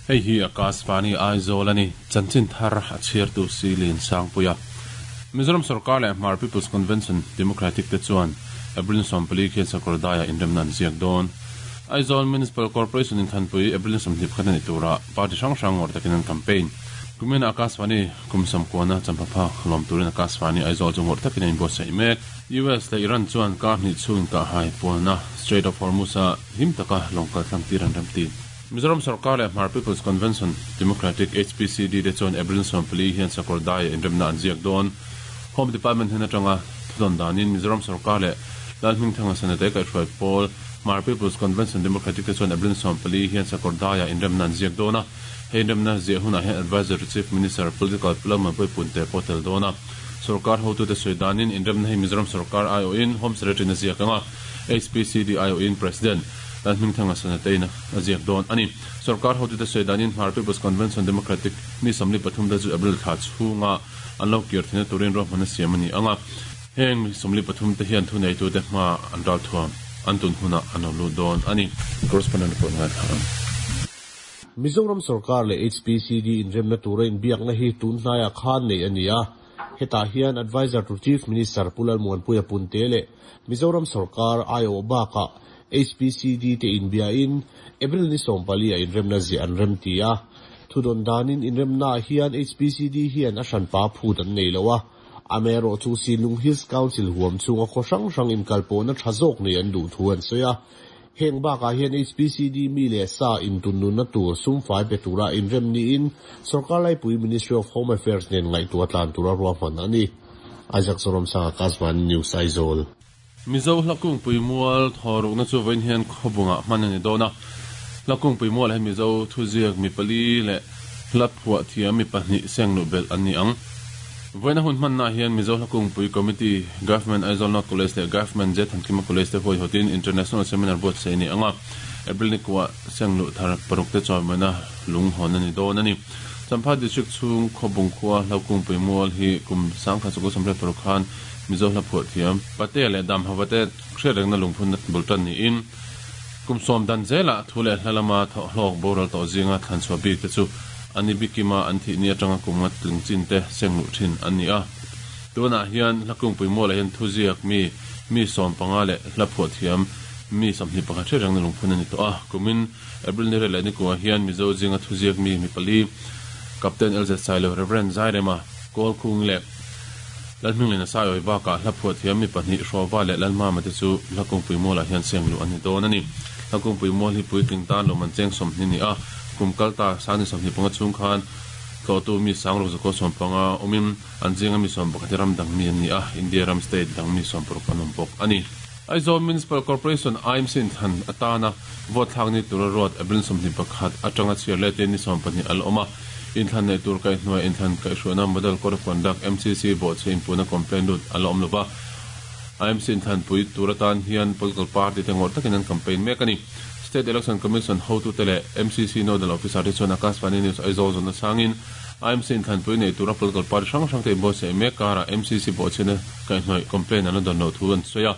Hei hi Akashvani Aizawl a ni. Chanchin thar a chhiartu Silin Sangpuia. Mizoram Sorkar leh Hmar People's Convention Democratic te chuan April 14 khian Sakawrdaiah inremna an ziak dawn. Aizawl Municipal Corporation inthanpui April 21 a ni turah party hrang hrang ngawrh takin an campaign. Kumin Akashvani kum sawmkuana champhaphak lawm turin Akashvani Aizawl chu ngawrh takin a inbuatsaih mek. US leh Iran chuan kar hnih chhung inkahhai pualna Strait of Hormuz-a him taka lawng kal tlang tir an remti. Mizoram Sorkar leh Hmar People's Convention, Democratic, HPCD, te chuan April 14 hian Sakawr Daiah inremna an ziak dawn. Home Department hnen atanga thudawn danin Mizoram Sorkar leh Lalhmingthanga Sanate kaihhruai pawl Hmar People's Convention Democratic te chuan April 14 hian Sakawr Daiah inremna an ziak dawn a. Hei inremna ziah hunah hian Adviser to Chief Minister, Political, Pu Puipun te pawh tel dawn a. Sorkar hotute sawi danin inremna hi Mizoram Sorkar aiawhin Home Secretary-in a ziak ang a, HPCD aiawhin President Lalhmingthanga Sanate-in a ziak dawn a ni. Sorkar hotute sawi danin Hmar People's Convention Democratic mi 43 te chu April thla chhunga an lo kir theihna turin ruahmanna siam a ni ang a. Heng mi 43 te hian thuneitute hma an ral thuam an tun hunah an lo lut dawn a ni. Correspondent report ngaithla ang. Mizoram Sorkar leh HPCD inremna tura inbiakna hi tun hnaiah khan nei a ni a. Hetah hian Adviser to Chief Minister Pu Lalmuanpuia Punte leh Mizoram Sorkar aiawh bakah HPCD te inbiain April ni 14 ah inremna ziah an rem ti a. Thudawn danin inremnaah hian HPCD hian a hranpa phut an nei lo a. Amaherawhchu Sinlung Hills Council huam chhunga khaw hrang hrang inkalpawhna tha zawk nei an duh thu an sawi a. Heng bakah hian HPCD mi leh sa intunnunna tur sumfai pe tura inrem niin Sorkar laipui Ministry of Home Affairs nen ngaihtuah tlan tura ruahman a ni. Isaac Zoramsanga, Akashvani News, Aizawl. Mizo Hlakungpui mual thawrukna chu vawiin hian khawbungah hman a ni dawn a. Hlakungpui mualah hian Mizo thuziak mi pali leh hla phuah thiam mi pahnih seng luh belh an ni ang. Vawiina hun hmannaah hian Mizo Hlakungpui Committee, Government Aizawl North College leh Government J Thankima College te huaihawtin International Seminar buatsaih a ni ang a. April ni kuah seng luh thar paruk te chawimawina lung hawn a ni dawn a ni. Champhai District chhung Khawbung khua Hlakungpui mual hi kum 1986 khan Mizo hla phuah thiam Patea leh Damhava te hriat rengna lungphun bul tan niin kum sawm dan zelah thu leh hla lama thawhhlawk boral tawh zinga thlanchhuah bik te chu a ni bikima an thih ni atanga kum nga tling chin te seng luh thin an ni a. Tunah hian hla kungpui mualah hian thuziak mi mi 15 leh hla phuah thiam mi 21 hriat rengna lungphun a ni tawh a. Kumin April ni riat leh ni kuah hian Mizo zinga thuziak mi mi pali Captain LZ Sailo, Rev. Zairema, Kawlkhung leh Lalhminglina Saiawi bakah hla phuah thiam mi pahnih Hrawva leh Lalmama te chu hla kungpui mualah hian seng luh an ni dawn a ni. Hla kungpui mual hi puitling tan lawm an cheng 20 ni a, kum kal ta sang ni 25 chhung khan tlawhtu mi sang ruk zakua 15 awmin an zinga mi 11 hi ram dang mi an ni a, India ram state dang mi 60 an awm bawk a ni. Aizawl Municipal Corporation, AMC, inthlan atana vote thlak ni tura ruat April 21 atanga chhiar letin ni 20 a la awm a. Inthlan neih tur kaihhnuai inthlan kaihhruaina Model Code of Conduct, MCC, bawhchhe inpuhna complaint lut a la awm lova. AMC inthlanpui tur atan hian political party te ngawrh takin an campaign mek a ni. State Election Commission hotute leh MCC Nodal Officer te chuan Akashvani News Aizawl zawn nasangin AMC inthlanpui neih tura political party hrang hrang te inbuatsaih mek karah MCC bawhchhiatna kaihhnawih complaint an la dawn loh thu an sawi a.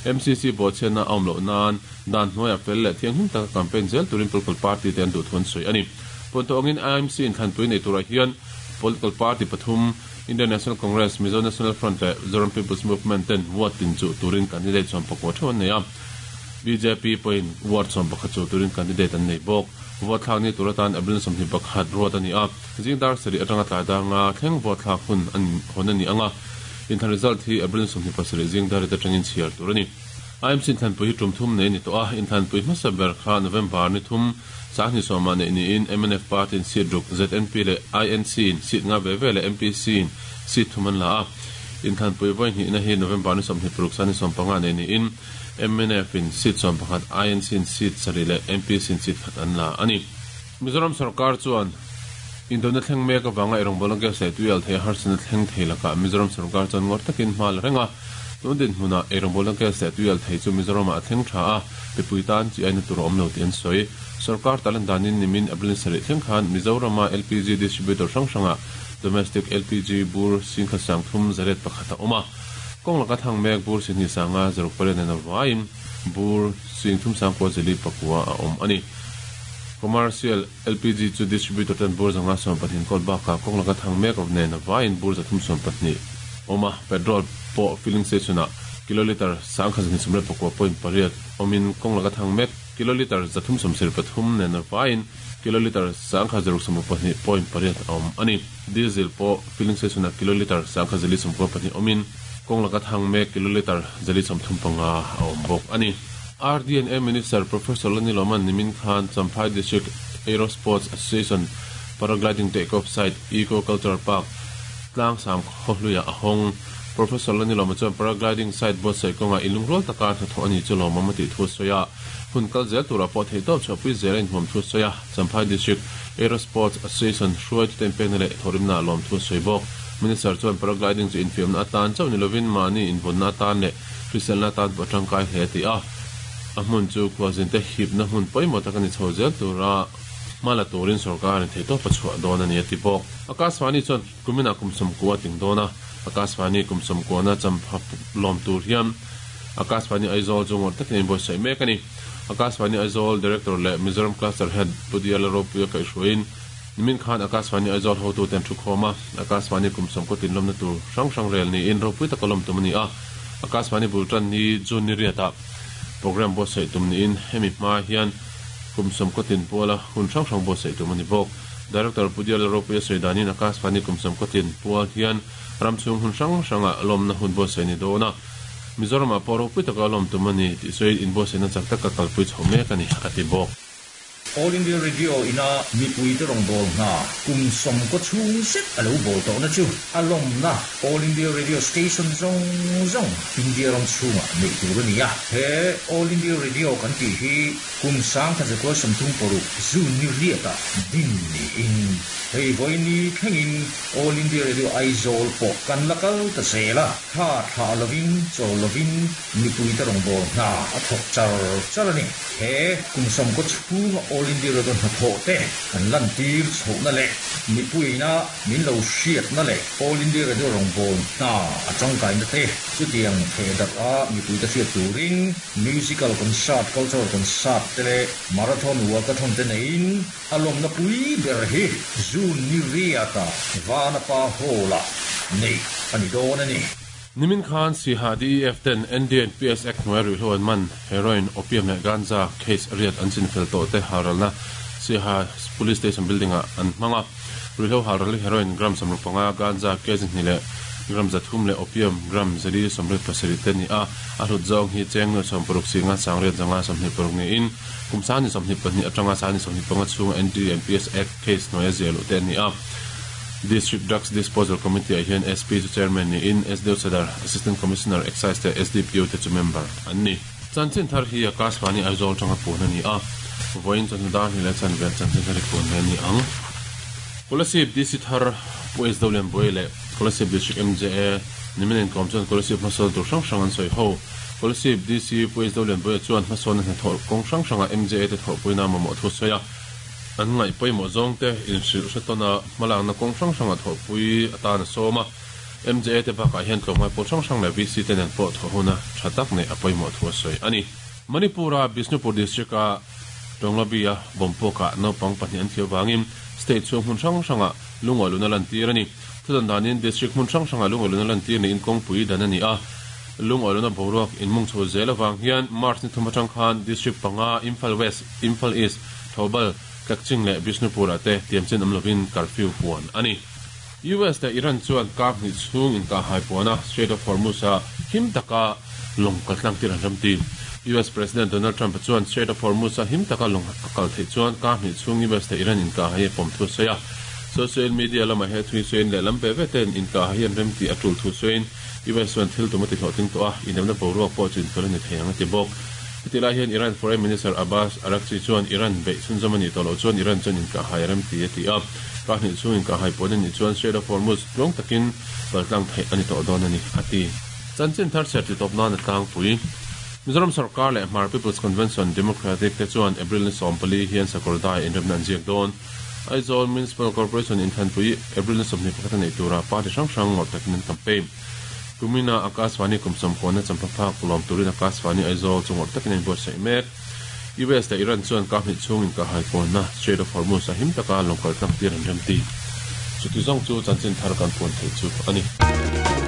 MCC bawhchhiatna a awm loh nan dan hnuaiah fel leh thianghlim taka campaign zel turin political party te an duh thu an sawi a ni. Puantawh angin IMC inthlanpui nei turah hian political party pathum, Indian National Congress, Mizo National Front leh Zoram People's Movement ten ward tin chuh turin candidate 19 theuh an nei a. Bjp pawhin ward 11 chuh turin candidate an nei bawk. Vote thlak ni tur atan April 21 ruat a ni a, zing dar sarih atanga tlai dar nga thleng vote thlak hun an hawn a ni ang a. Inthlan result hi April 27 zing dar rit atangin chhiar tur a ni. IMC inthlanpui hi tum thum nei a ni tawh a, inthlanpui hmasa ber kha November ni thum Sangni sawmah neih niin mnf party in seat ruk, ZNP leh INC in seat nga ve ve leh MPC in seat thum an la a. Inthlanpui vawi hnihna hi November ni 26 Sangni 15 neih niin mnf in seat 11, INC in seat sarih leh MPC in seat khat an la a ni. Mizoram sorkar chuan indona thleng mek avanga eirawngbawl a gas leh tuial thei a harsatna thleng thei lakah Mizoram sorkar chuan ngawr takin hma la reng a. Tun dinhmunah eirawngbawl a gas leh tuial thei chu Mizoramah a thleng tha a, mipui tan chi aina tur a awm lo tih an sawi. Sorkar talan danin nimin April ni sarih thleng khan Mizorama LPG distributor hrang hrangah domestic LPG bur singkhat sang thum zaret pakhat a awm a. Kawng laka thang mek bur sihnih sanga zaruk pariat nen a vaiin bur sing thum sangkua zili pakua a awm a ni. Commercial LPG chu distributor ten bur 512 kawl bakah kawng laka thang mek nen a vaiin bur 312 awm a, petrol pawh filling station ah kilolitre 1229.8 awmin kawng laka thang mek kilolitre 373 nen a vaiin kilolitre 1662.8 a awm a ni. Diesel pawh filling station ah kilolitre 1494 awmin kawng laka thang mek kilolitre 435 a awm bawk a ni. RDNA Minister Professor Lani Loman nimin khan Champhai District Aero Sports Association Paragliding Take-off Site Eco Cultural Park tlangsam khawhluiah a hawng. Professor Lani Loma chuan Paragliding site buatsaih kawngah inlungrual taka hnathawh a nih chu lawmawm a tih thu a sawi a. Hun kal zel turah pawh theihtawp chhuahpui zel a inhuam thu a sawi a. Champhai District Aero Sports Association hruaitute inpekna leh thawhrimna a lawm thu a sawi bawk. Minister chuan Paragliding chu infiamna atan chauh ni lovin mahni invawnna atan leh hriselna atan pawh a tangkai hle a ti a. A hmun chu khualzinte hipna hmun pawimawh tak a ni chho zel tura hma la turin sorkarin theihtawp a chhuah dawn a ni a ti bawk. Akashvani chuan kuminah kum sawmkua a tling dawn a, Akashvani kum sawmkuana champha lawm tur hian Akashvani Aizawl chu ngawrh takin a inbuatsaih mek a ni. Akashvani Aizawl Director leh Mizoram Cluster Head Pu Diala Ropuia kaihhruaiin nimin khan Akashvani Aizawl hotute an thukhawm a, Akashvani kum sawmkaw tinlawmna tur hrang hrang rel niin ropui taka lawm tum a ni a. Akashvani bul tan ni June ni riatah program buatsaih tum niin hemi hma hian kum sawmkaw tin puala hun hrang hrang buatsaih tum a ni bawk. Director Pu Diala Ropuia sawi danin Akashvani kum sawmkaw tin pual hian ram chhung hun hrang hrangah lawmna hun buatsaih a ni dawn a, Mizoramah pawh ropui taka lawm tum a ni tih sawiin inbuatsaihna chak taka kalpui chho mek a ni, a ti bawk. All India Radio ina mipuite rawngbâwl hna kum sawmkaw chhung zet a lo bawl tawhna chu a lawmna All India Radio Station zawng zawng India ram chhungah neih tur a ni a. He All India Radio kan tih hi kum 1936 June ni riatah din niin hei vawiini thlengin All India Radio Aizawl pawh kan la kal ta zel a. Thla thlah lovin chawl lovin mipuite rawngbâwl hna a thawk char char a ni. He kum sawmkaw chhunga All India Radio hnathawh te kan lantir chhohna leh mipuiina min lo hriatna leh All India Radio rawngbâwl hna a tangkaina te chutiang theh darh a mipuite hriat turin Musical Concert, Cultural Concert te leh Marathon Walkathon te neiin a lawmna pui ber hi June ni riata Vanapa Hall-ah neih a ni dawn a ni. Nimin khan Siha DEF ten NDNPS Act hnuai ruihhlo an man, heroin, opium leh ganja case riat an chinfel tawh te halralna Siha Police Station building ah an hmang a. Ruihhlo halral hi heroin gram 65, ganja kg hnih leh gram 300 leh opium gram 487 te a ni a. A hlut zawng hi cheng nuai 60 singa sangriat 126 niin kum 22 atanga 25 chhunga NDNPS Act case hnuaia ziah luh te a ni a. District Drugs Disposal Committee ah hian SP chu Chairman niin SDO Sadar, Assistant Commissioner Excise leh SDPO te chu member an ni. Chanchin thar hi Akashvani Aizawl tanga puan a ni a, vawiin chawhnu dar hnih leh chanve chanchin thar hi puan mai a ni ang. Kolasib DC thar Pu SW Lianbuai leh Kolasib District MJA nimin inkawm chuan Kolasib hmasawn tur hrang hrang an sawi ho. Kolasib DC Pu SW Lianbuaia chuan hmasawnna hnathawh kawng hrang hrangah MJA te thawhpuina mamawh thu a sawi a. An ngaih pawimawh zawngte inhrilh hre tawn a, hmalakna kawng hrang hranga thawhpui atan a sawm a. MJA te bakah hian tlawmngai pawl hrang hrang leh VC te nen pawh thawh huna tha tak neih a pawimawh thu a sawi a ni. Manipur-a Bishnupur District-a Tonglabi-a bomb puakah naupang pahnih an thiam vangin state chhung hmun hrang hrangah lungawihluna lantir a ni. Thudan danin district hmun hrang hrangah lungawihluna lantir niin kawngpui dan a ni a. Lungawihluna boruak inmung chho zel avang hian March ni thum atang khan district panga Imphal West, Imphal East, Thoubal, Kakching leh Bishnupur-ah te tiamchin awm lovin curfew puan a ni. US leh Iran chuan kar hnih chhung inkahhai puan a, Strait of Hormuz-a him taka lawng kal tlang tir an ram ti. US President Donald Trump-a chuan Strait of Hormuz-a him taka lawng a kal theih chuan kar hnih chhung US leh Iran inkahhai a pawm thu a sawi a. Social media lamah he thui sawiin lehlam ve ve ten inkahhai an rem tih a tul thu sawiin US chuan thil tum a ti hlawhtling tawh a, inremna boruak pawh chu infel a ni thei ang a ti bawk. Heti lai hian Iran Foreign Minister Abbas Araghchi chuan Iran beih chhunzawm a nih tawh loh chuan Iran chuan inkahhai a rem ti a ti a. Kar hnih chhung inkahhai puan a nih chuan Strait of Hormuz tluang takin paltlang theih a ni tawh dawn a ni, a ti. Chanchin thar chhiar titawp nan a tlangpui. Mizoram sorkar leh Hmar People's Convention Democratic te chuan April ni 14 hian Sakawrdai inremna an ziak dawn. Aizawl Municipal Corporation inthlanpui April ni 21 a neih turah party hrang hrang ngawrh takin an campaign. Kumina Akashvani kum sawmkuana champha phak lawm turin Akashvani Aizawl chu ngawrh takin a inbuatsaih mek. US leh Iran chuan kap hnih chhung inkahhai pawnna Strait of Hormuz a him taka lawng kal tlang tir an remti. Chuti zawng chu chanchin thar kan puan theih chu a ni.